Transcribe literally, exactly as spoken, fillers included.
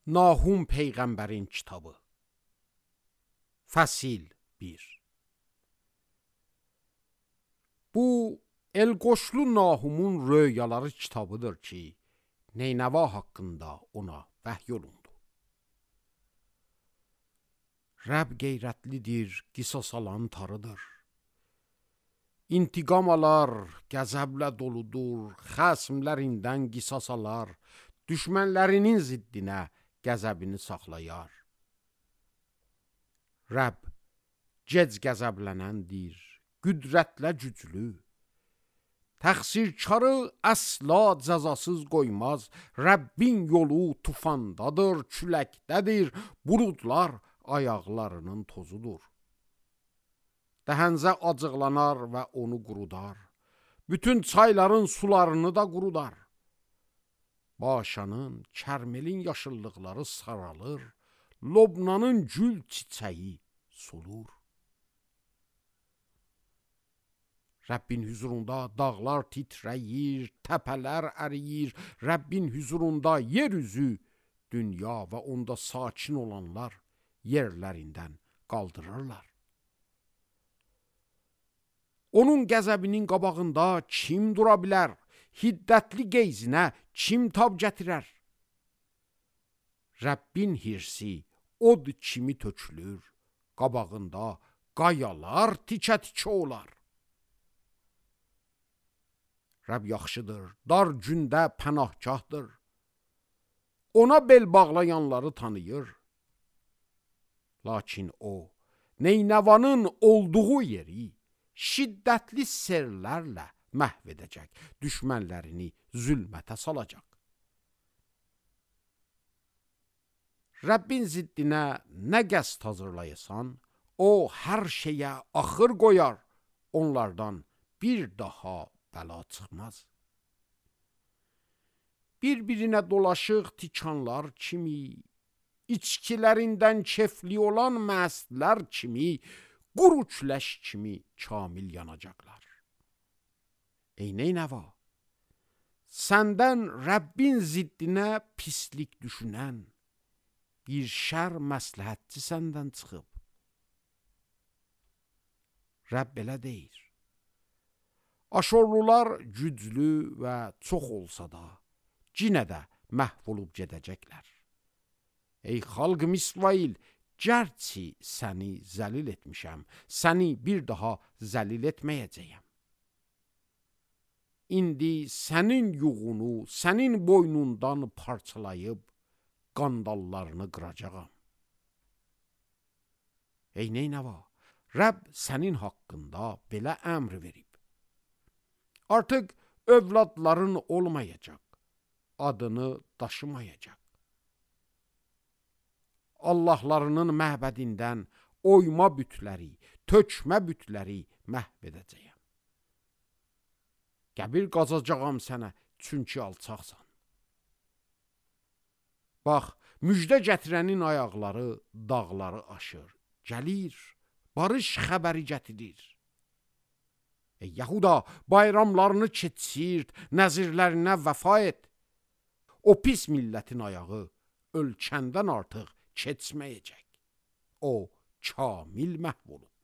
Nahum Peyğəmbərin kitabı. Fəsil bir. Bu Elqoşlu Nahumun röyaları kitabıdır ki, Neynəva haqqında ona vəhy olundu. Rəbb qeyrətlidir, qisas alan tarıdır. İntiqam alar, qəzəblə doludur, xəsmlərindən qisas alar, düşmənlərinin ziddinə qəzəbini saxlayar. Rəbb gec qəzəblənəndir, qüdrətlə güclü. Təqsirkarı əsla cəzasız qoymaz, Rəbbin yolu tufandadır, küləkdədir, buludlar ayaqlarının tozudur. Dəhənzə acıqlanar və onu qurudar, bütün çayların sularını da qurudar. Başanın, kərmelin yaşıllıqları saralır, Lobnanın gül çiçəyi solur. Rəbbin hüzurunda dağlar titrəyir, təpələr əriyir, Rəbbin hüzurunda yer üzü, dünya və onda sakin olanlar yerlərindən qaldırırlar. Onun qəzəbinin qabağında kim dura bilər? Hiddətli qeyzinə kim tab gətirər? Rəbbin hirsi od kimi tökülür, qabağında qayalar tikə-tikə olar. Rəbb yaxşıdır, dar gündə pənahgahdır. Ona bel bağlayanları tanıyır. Lakin o, Neynəvanın olduğu yeri şiddətli sellərlə məhv edəcək, düşmənlərini zülmətə salacaq. Rəbbin ziddinə nə qəsd hazırlayasan, o hər şeyə axır qoyar, onlardan bir daha bəla çıxmaz. Bir-birinə dolaşıq tikanlar kimi, içkilərindən kefli olan məstlər kimi, quru küləş kimi kamil yanacaqlar. Ey Neynəva, səndən Rəbbin ziddinə pislik düşünən, bir şər məsləhətçi səndən çıxıb. Rəbb belə deyir. Aşorlular güclü və çox olsa da, cinə də məhv olub gedəcəklər. Ey xalqım İsrail, gərçi səni zəlil etmişəm, səni bir daha zəlil etməyəcəyəm. İndi sənin yuğunu, sənin boynundan parçalayıb, qandallarını qıracağam. Ey Neynəva, Rəbb sənin haqqında belə əmr verib. Artıq övladların olmayacaq, adını daşımayacaq. Allahlarının məbədindən oyma bütləri, tökmə bütləri məhv edəcəyəm. Qəbir qazacağam sənə, çünki alçaqsan. Bax, müjdə gətirənin ayaqları dağları aşır, gəlir, barış xəbəri gətirir. Ey Yahuda, bayramlarını keçirt, nəzirlərinə vəfa et. O pis millətin ayağı ölkəndən artıq keçməyəcək. O kamil məhv olub.